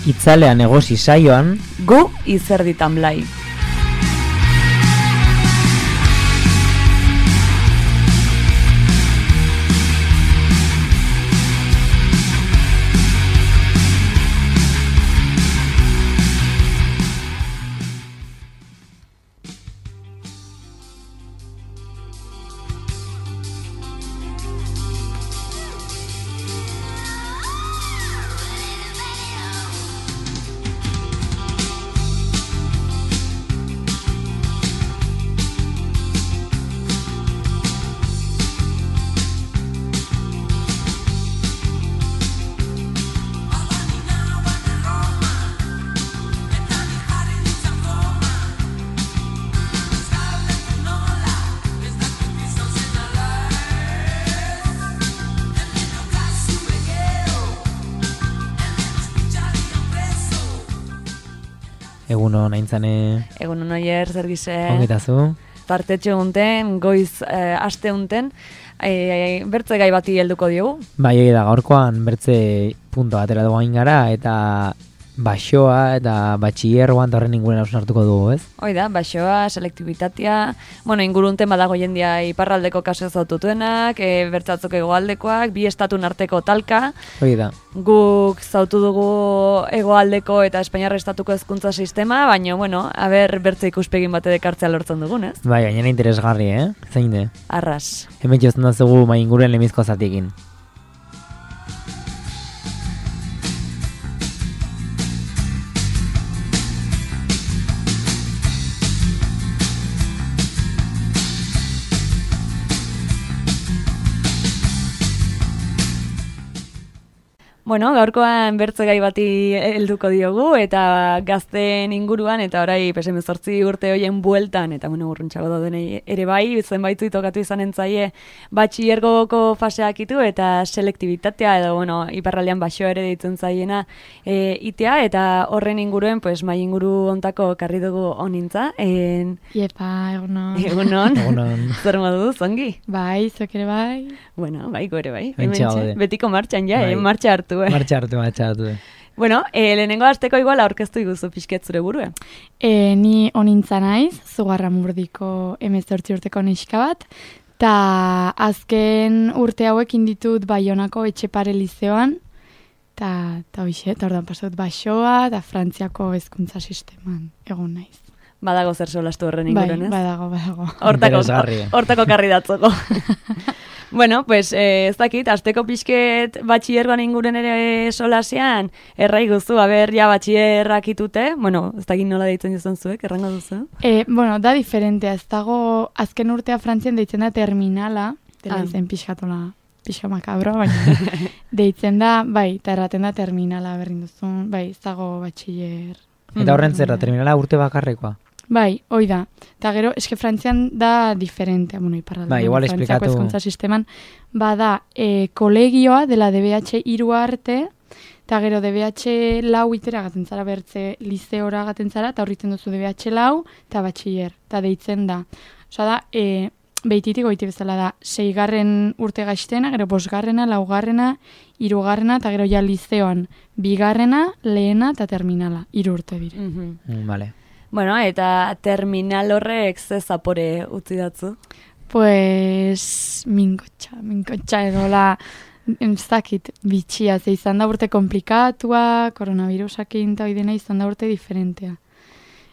Itzalean egosi saioan, gu izerditan blai. Egunon aintzane. Egunon oier, zer gize. Ongetazu. Partetxo unten, goiz aste unten, bertze gai bati helduko diogu. Bai, da gaurkoan bertze punto atera dugu hain gara, eta baixoa eta batxillerroan eta horren inguren hartuko dugu, ez? Hoi da, baixoa, selektibitatea, ingurunten badago jendia iparraldeko kaso zaututuenak, bertzatzok hegoaldekoak, bi estatun arteko talka. Hoi da. Guk zautu dugu hegoaldeko eta Espainiarra estatuko hezkuntza sistema, baina, aber bertze ikuspegin bate dekartzea lortzen dugun, ez? Bai, gainera interesgarri, Zein de? Arras. Hemen jozten da zugu mai inguren lemizko zatiekin. Gaurkoan bertze gai bati helduko diogu, eta gazteen inguruan, eta orai 18 urte hoien bueltan, eta urruntxago daudenei ere bai, zenbaitu tokatu izan entzaie batxillergoko faseak itu, eta selektibitatea, edo iparraldean baixoa ere deitzen zaiena itea, eta horren inguruen, mai inguru ontako karri dugu onintza. Iepa, egunon. Egunon. Zer modu, zongi? Bai, zok ere bai. Bai, go ere bai. Betiko martxan ja, martxa hartu. Martxa hartu. Lehenengo hasteko igual aurkeztu iguzu pixket zure burue. Ni onintza naiz, Zugarramurdiko 18 urteko neska bat, eta azken urte hauekin ditut Baionako Etxepare Lizeoan, eta ordan pasatut baixoa, eta Frantziako hezkuntza sisteman egon naiz. Badago zer solastu horren inguren, ez? Badago. Hortako karri datzoko. Ez dakit, azteko pixket batxillergoan inguren ere solasean, errai guzu, batxillerrak itute, ez dakit nola deitzen jozan zuek, errango duzu? Da diferentea, ez dago azken urtea Frantzian deitzen da terminala, dela izen pixka makabro, baina deitzen da, eta erraten da terminala berrin duzun, ez dago batxiller. Eta horren zerra, terminala urte bakarrekoa? Bai, hoi da. Eta gero, eske Frantzian da diferentea, iparraldean. Bai, igual esplikatu. Frantziako hezkuntza sisteman, bada, kolegioa dela DBH 3 arte, eta gero DBH 4 itera gaten zara bertze lizeora gaten zara, eta horritzen duzu DBH 4 eta batxiller, eta deitzen da. Osa da, behititik goiti bezala da, 6. urte gaiztena, gero 5., 4., 3., eta gero ja lizeoan 2., lehena eta terminala, 3 urte dire. Vale. Eta terminal horrek ze zapore utzi datzu? Minkotxa edola, ez dakit, bitxia, ze izan da urte komplikatua, koronavirusakin eta oidena izan da urte diferentea.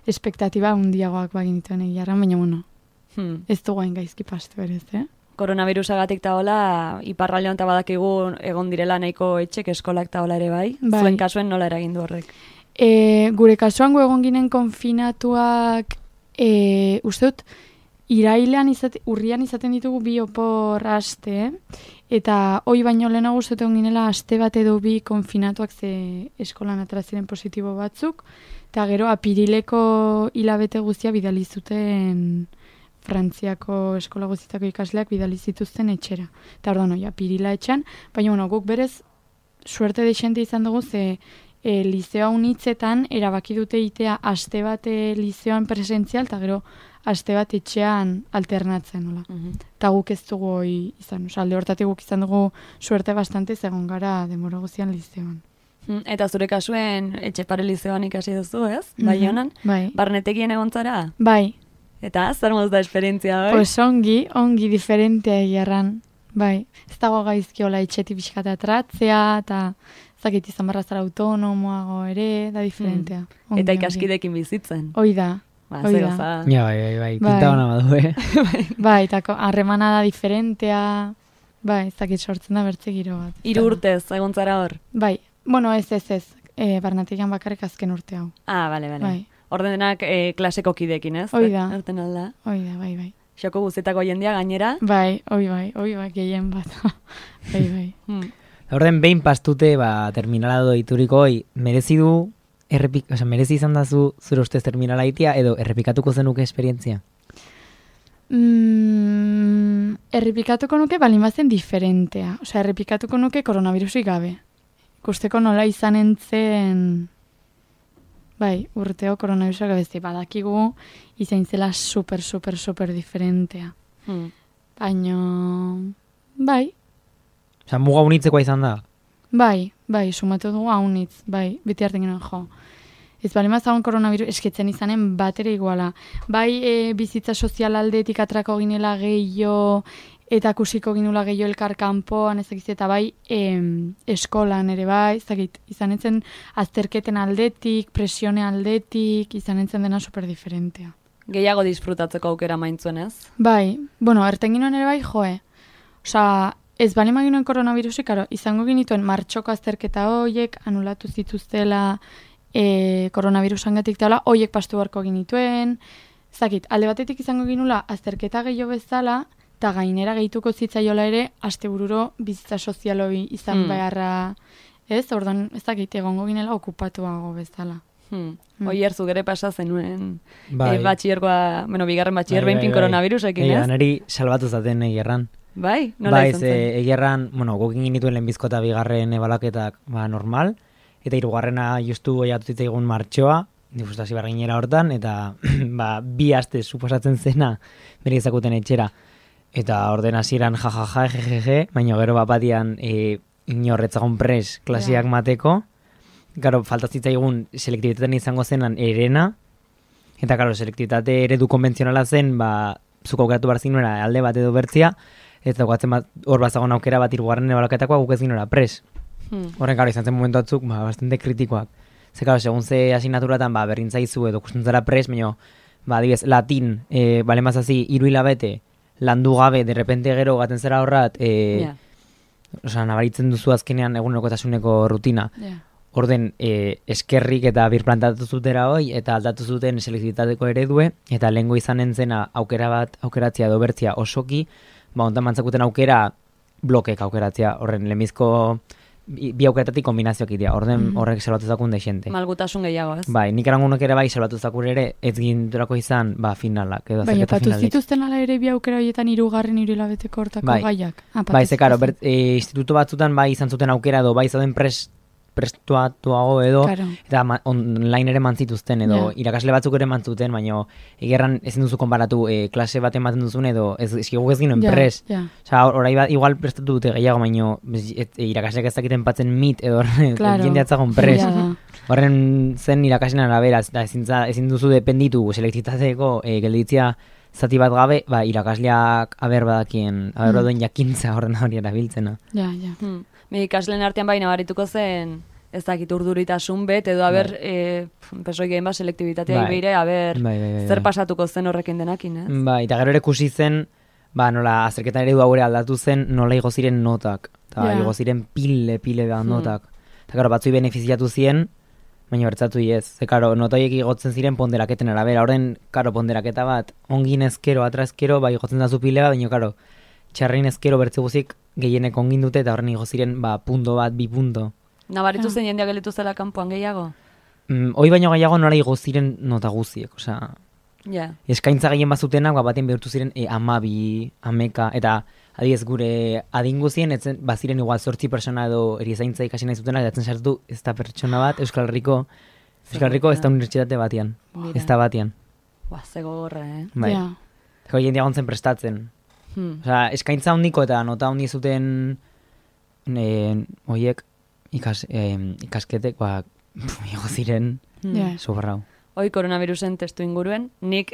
Espektatiba hundiagoak baginituen egiarra, baina ez du gain gaizki pastu ere, Koronavirusagatik eta hola, iparraldean eta badakigu egon direla nahiko etxek eskolak eta hola ere bai. Zuen kasuen nola eragindu horrek? Gure kasuan egon ginen konfinatuak, uste dut, urrian izaten ditugu 2 opor aste, eta hoi baino lehenago uste egon ginela aste bat edo 2 konfinatuak ze eskolan atraziren positibo batzuk, eta gero apirileko hilabete guztia bidali zuten Frantziako eskola guztietako ikasleak bidali zituzten etxera. Eta ordan apirila etxan, baina guk berez suerte desente izan dugu ze lizeoa unitzetan erabaki dute itea aste bat lizeoan presentzial eta gero aste bat etxean alternatzen. Eta guk ez dugu izan, alde hortatik guk izan dugu suerte bastante zegoen gara denbora guztian lizeoan. Eta zure kasuen etxe paralizeoan ikasi duzu, ez? Baionan? Bai. Barnetekien egon zara? Bai. Eta zer moz da esperientzia, bai? Pues ongi diferentea egiarran. Bai. Ez dago gaizkiola etxeti pixkata atratzea, eta zakit izan barra zara autonomoago ere, da diferentea. Ongi, Eta ikaskidekin bizitzen. Hoi da. Ba, Hoi ze da. goza. Ja, bai, pinta hona badu, Bai, eta harremana da diferentea. Bai, ez dakit sortzen da bertze giro bat. 3 urtez, egon zara hor? Bai, bueno, ez. Barnetegian bakarrik azken urte hau. Ah, bale. Bai. Ordenak klaseko kidekin, ez? Hoi da. Erten alda. Bai. Xoko guztietako jendia gainera. Bai, gehien bat. bai. Orden behin pastute, terminala doituriko, merezi du, merezi izan da zure ustez terminala itia, edo errepikatuko zenuke esperientzia? Errepikatuko nuke balin bazen diferentea. Errepikatuko nuke koronavirusik gabe. Ikusteko nola izan entzen... Bai, urteo koronavirusak gabezi badakigu izan zela super diferentea. Baina... Bai. Muga unitzekoa izan da? Bai, sumatu dugu haunitz, bai, beti hartzen ginen jo. Ez bali mazagon koronavirus esketzen izanen bat ere iguala. Bai, bizitza sozial aldetik atrako ginela gehiago, eta kusiko ginula gehiago elkar kanpoan, ezakiz, eta bai, eskolan ere bai, ezakit, izanetzen azterketen aldetik, presione aldetik, izanetzen dena super diferentea. Gehiago disfrutatzeko aukera maintzuen, ez? Bai, bueno, erten ginoen ere bai, joe. Osa, ez bali maginoen koronavirusik, karo, izango ginituen martxoko azterketa hoiek, anulatu zituztela koronavirusangatik teola, hoiek pastu barko ginituen, ezakit, alde batetik izango ginula azterketa gehiago bezala, eta gainera gehituko zitzaiola ere, astebururo bizitza sozialoi izan beharra, ez? Orduan, ezakit, egongo ginela okupatuago bezala. Oier, zugere pasa zenuen Bai. bigarren batxier behin koronavirusekin, ez? Neri salbatu zaten egerran. Bai, nola izan zen? Egerran, gokin ginituen lehenbizko eta bigarren ebalaketak normal, eta hirugarrena justu goiatu zitzaigun martxoa, difustazio barginera hortan, eta 2 aste suposatzen zena bere izakuten etxera. Eta orden hasieran jajaja, jejeje, baina gero bapatian inorretzagon pres klasiak mateko. Garo, falta zitzaigun selektibitatean izango zenan erena, eta garo, selektibitate eredu konbentzionala zen, zuko aukeratu behar zinuera alde bat edo bertzia, eta guatzen hor bazagon aukera bat hirugarren ebalaketakoa guk ez ginora pres. Horren, garo, izan zen momentu batzuk, bastante kritikoak. Ze, garo, segun ze asignaturatan, berrintzaizu edo kustentzara pres, baina, adibidez, latin, bale mazazi, 3 hilabete, landu gabe, derrepente gero gaten zera horrat, nabaritzen duzu azkenean egunerokotasuneko rutina. Orden, eskerrik eta birplantatu zutera hoi, eta aldatu zuten selektibitateko eredue, eta lehengo izanen zena aukeratzea edo bertzia osoki, ontan mantzakuten aukera blokek aukeratzea, horren lehenbizko bi aukeratatik kombinazioak idea, orden horrek salbatu zakun deixente. Malgutasun gehiago, ez? Bai, nik erangunok ere bai salbatu zakun ere, ez ginturako izan, finalak, edo Baina, azerketa patu finalik. zituzten ala ere bi aukera horietan 3. 3 hilabeteko hortako gaiak. Bai, ze karo, instituto batzutan bai izan zuten aukera edo bai zauden prestuatuago edo, eta online ere mantzituzten edo, irakasle batzuk ere mantzuten, baina egerran ezin duzu konparatu klase bat ematen duzun edo, guk ez ginen pres. Osa, orai bat, igual prestatu dute gehiago, baina irakasleak ez dakiten patzen mit edo jendeatzagon pres. Horren zen irakasleen arabera, ezin duzu dependitu selektitateko gelditzia zati bat gabe, irakasleak badakien jakintza horren hori erabiltzena. Ikasleen artean bai nabarituko zen, ez dakit urduritasun bet, edo pesoi gehen selektibitatea ibeire, zer pasatuko zen horrekin denakin, ez? Bai, eta gero ere kusi zen, nola azterketan eredu haure aldatu zen, nola igo ziren notak, eta igo ziren pile bat notak. Eta gero batzui benefiziatu ziren, baina bertzatu ez. Ze karo, notoiek igotzen ziren ponderaketen arabera, horren, karo, ponderaketa bat, ongin ezkero, atrazkero, igotzen da zu pile bat, baina karo, txarrein ezkero bertze guzik gehienek ongin dute, eta horren igo ziren, punto bat, 2 punto. Nabaritu zen jendeak gelitu zela kanpoan gehiago? Hoi baino gehiago nola igo ziren nota guziek, osea... Eskaintza gehien bazutenak, baten behurtu ziren 12, 11, eta adiez gure adinguzien, baziren igual 8 persona edo erizaintza ikasi nahi zutenak, datzen sartu ez da pertsona bat, Euskal Herriko ez da unibertsitate batian, ez da batian. Zego gorra, Bai, zego jendia gontzen prestatzen. Osea, eskaintza hondiko eta nota hondi zuten oiek, ikasketek, igo ziren, Ja. soberrau. Hoi koronavirusen testu inguruen, nik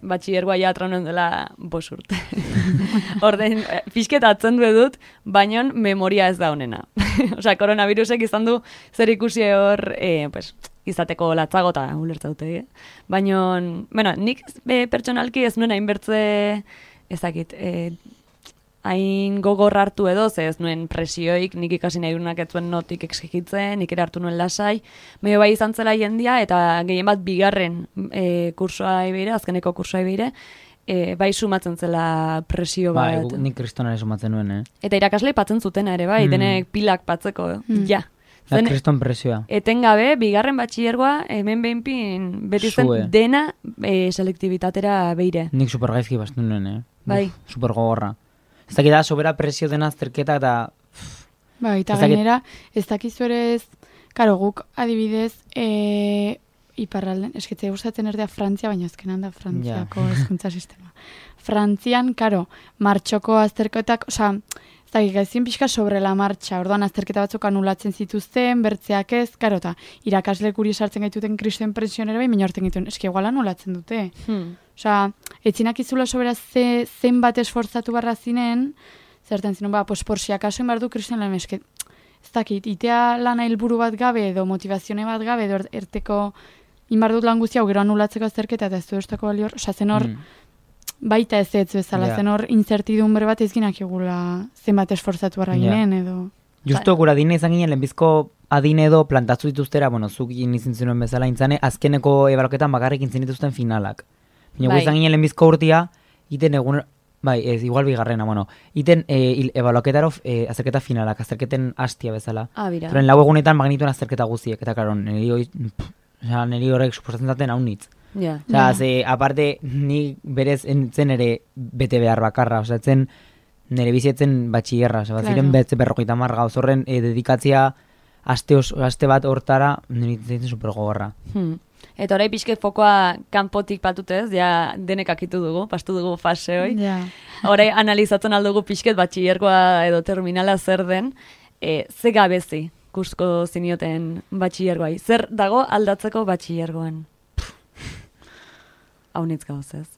batxillergoa ja atrauen dela 5 urte. Orden, pixket atzen dut, baina memoria ez da honena. Osea, koronavirusek izan du zer ikusi hor, izateko latzago eta ulertza dute. Baina, bueno, nik pertsonalki ez nuen hainbertze, ezakit, hain gogor hartu edo, ze ez nuen presioik, nik ikasi nahi duenak ez zuen notik exigitzen, nik ere hartu nuen lasai, medio bai izan zela jendia, eta gehien bat bigarren kursoa ebeire, azkeneko kursoa ebeire, bai sumatzen zela presio bat. Bai, nik kristonare sumatzen nuen, Eta irakasle patzen zutena ere, bai, denek pilak patzeko, ja. Zen, kriston presioa. Etengabe, bigarren batxillergoa, hemen behinpin, beti zen dena selektibitatera beire. Nik supergaizki bastu nuen, Bai. Super gogorra. Ez dakit da, sobera presio dena azterketa eta... Bai, eta gainera, ez dakizu ere ez, karo, guk adibidez, iparralden, eskitzea gustatzen erdea Frantzia, baina ezkenan da Frantziako hezkuntza sistema. Frantzian, karo, martxoko azterketak, oza, ez dakit, gaizien pixka sobre la martxa, orduan azterketa batzuk anulatzen zituzten, bertzeak ez, karo, eta irakasle guri sartzen gaituten kristen presionera bai, baina horten gaituen, eski igual anulatzen dute. Osea, etzinak izula sobera zenbat esforzatu barra zinen, zerten zinen, pues por si acaso inbardu kristen lan esket, ez dakit, itea lana helburu bat gabe edo motivazione bat gabe edo erteko inbardut lan guztia, gero anulatzeko azterketa eta ez du estako balior, osea, zen hor, baita ez bezala, zen hor incertidumbre bat ez ginak egula zenbat esforzatu barra ginen edo... Justo gura adine izan ginen, lehenbizko adine edo plantatu dituztera, bueno, zuk izin zinuen bezala intzane, azkeneko ebaloketan bakarrik intzen dituzten finalak. Baina izan ginen lehenbizko urtia, iten egun, ez, igual bigarrena, bueno, iten ebaloketaro azterketa finalak, azterketen hastia bezala. Bira. Zoren lau egunetan magnituen azterketa guziek, eta karo, niri horrek suposatzen zaten haunitz. Ze, aparte, ni berez zen ere bete behar bakarra, zen nire bizietzen batxillerra, ziren betze 50 gauz horren dedikatzia aste bat hortara, nire zen super gogorra. Eta orai pixket fokoa kanpotik patutez, ja denek akitu dugu, pastu dugu fase hoi. Orai analizatzen aldugu pixket batxillergoa edo terminala zer den, ze gabezi kusko zinioten batxillergoai. Zer dago aldatzeko batxillergoan? Haunitz gauz ez.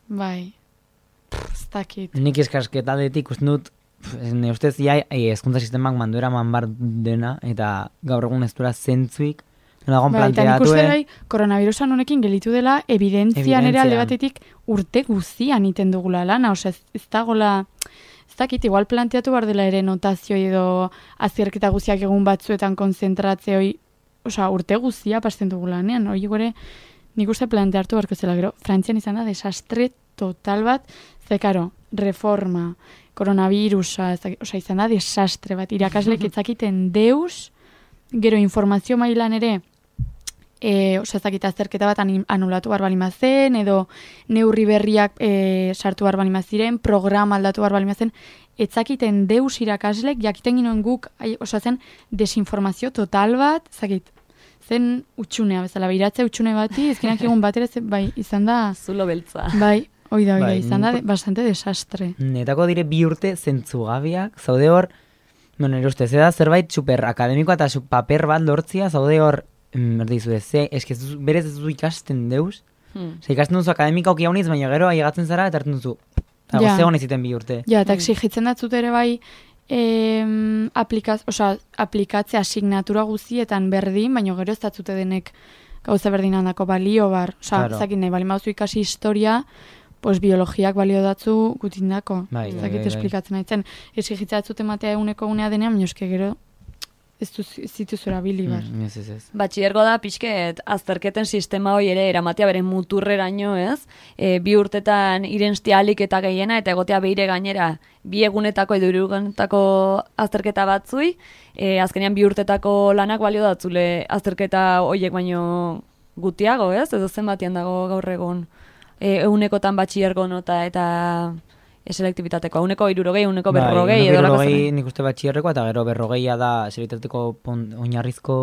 Bai, ez dakit. Nik eskasketadetik uste dut, ne ustez hezkuntza sistemak manduera manbar dena, eta gaur egun ez duela zentzuik, Eta nik uste gai, koronavirusan honekin gelitu dela, evidentzian ere alde batetik urte guzian iten dugula lana, osea, ez dagoela, ez dakit, igual planteatu bar dela ere notazioi edo azterketa guziak egun batzuetan konzentratzeoi, osea, urte guzia pasten dugula lanean, hori gore, nik uste planteatu barko zela, gero, Frantzian izan da desastre total bat, ze karo, reforma, koronavirusa, osea, izan da desastre bat, irakaslek etzakiten deus, gero informazio mailan ere, ez dakit azterketa bat anulatu bar balimazen, edo neurri berriak sartu bar balimaziren, programa aldatu bar balimazen, etzakiten deus irakaslek, jakiten ginoen guk, zen desinformazio total bat, zakit, zen utxunea, bezala, beiratze utxune bati, ezkinak egun bat ere, bai, izan da... Zulo beltza. Bai, oida, izan da bastante desastre. Netako dire 2 urte zentzugabiak, zaude hor, nire ustez, da zerbait super akademikoa eta paper bat lortzia, zaude hor, erdizu ez, berez ez duzu ikasten deuz, ikasten duzu akademika oki hauniz, baina gero ailegatzen zara eta hartzen duzu, eta gozte hon iziten 2 urte. Ja, eta exigitzen datzut ere bai, aplikatzea asignatura guzietan berdin, baina gero ez datzute denek gauza berdin handako balio bar, zakin nahi, bali mauzu ikasi historia, pues biologiak balio datzu gutindako. Zakit esplikatzen haitzen. Exigitzea datzute matea eguneko gunea denean, minoske gero ez zituzura bili bar. Batxillergo da pixket azterketen sistema hoi ere eramatea beren muturreraino, ez? 2 urtetan irenstia alik eta gehiena, eta egotea beire gainera 2 egunetako edo 3 egunetako azterketa batzui, azkenean 2 urtetako lanak balio datzule azterketa hoiek baino gutiago, ez? Edo zenbatian dago gaur egun egunekotan batxillergo nota eta selektibitateko, uneko 60, uneko 40, edo lako zen. Nik uste batxillerrekoa, eta gero 40 da selektibitateko oinarrizko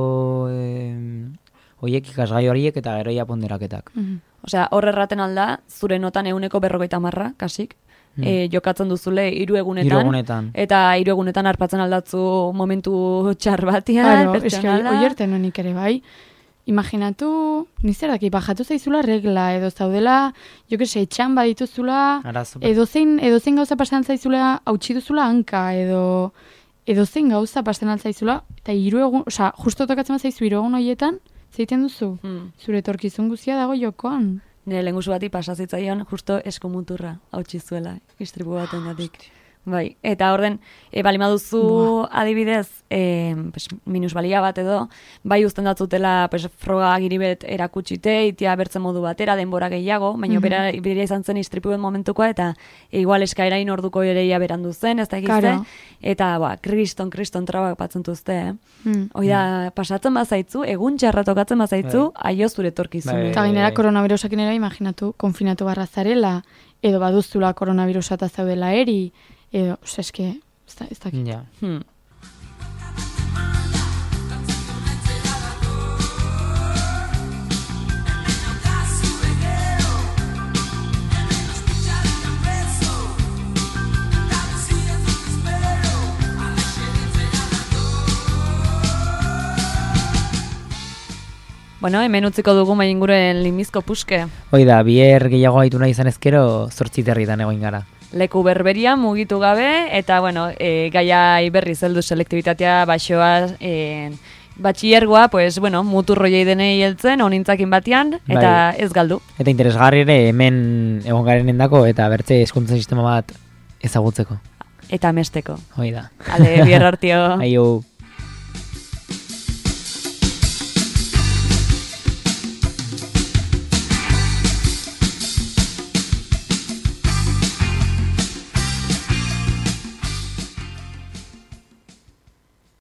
hoiek ikasgai horiek eta gero ia ponderaketak. Osea, hor erraten alda, zure notan 150, kasik, jokatzen duzule 3 egunetan. 3 egunetan. Eta 3 egunetan arpatzen aldatzu momentu txar batean, Claro, eske pertsonala. oierten honik ere bai. Imaginatu, nizer daki, bajatu zaizula regla, edo zaudela, jo que se, etxan badituzula, Arazo. edozein gauza pasan zaizula, hautsi duzula hanka, edozein gauza pasan altzaizula, eta 3 egun, osea, justo tokatzen zaizu 3 egun horietan, zeiten duzu? Zure etorkizun guztia dago jokoan. Nire lehengusu bati pasazitzaion justo eskomuturra hautsi zuela, istripu baten datik. Bai, eta orden, bali maduzu adibidez, minusbalia bat edo, bai uzten datzutela froga agiribet erakutsite, itia bertzen modu batera, denbora gehiago, baina bera izan zen istripuen momentukoa, eta igual eskaerain orduko ereia berandu zen, ez da egizte, Claro. eta kriston trabak batzen duzte, Hoi da, pasatzen bazaitzu, egun txarra tokatzen bazaitzu, aio zure etorkizune. Eta gainera koronavirusakin ere, imaginatu, konfinatu barra zarela, edo baduztula koronavirusa eta zaudela eri, edo, eske, ez dakit. Ja. Bueno, hemen utziko dugu mai inguruen limizko puske. Hoi da, bier gehiago gaitu nahi izan ezkero, 8 herritan egoin gara. Leku berberia mugitu gabe, eta, bueno, gaiai berriz heldu selektibitatea, baixoa, batxillergoa, pues, bueno, muturroiei denei heltzen, onintzakin batean, eta ez galdu. Eta interesgarri ere hemen egon garenendako eta bertze hezkuntza sistema bat ezagutzeko. Eta mesteko. Hoi da. Ale, bier hartio. Aio.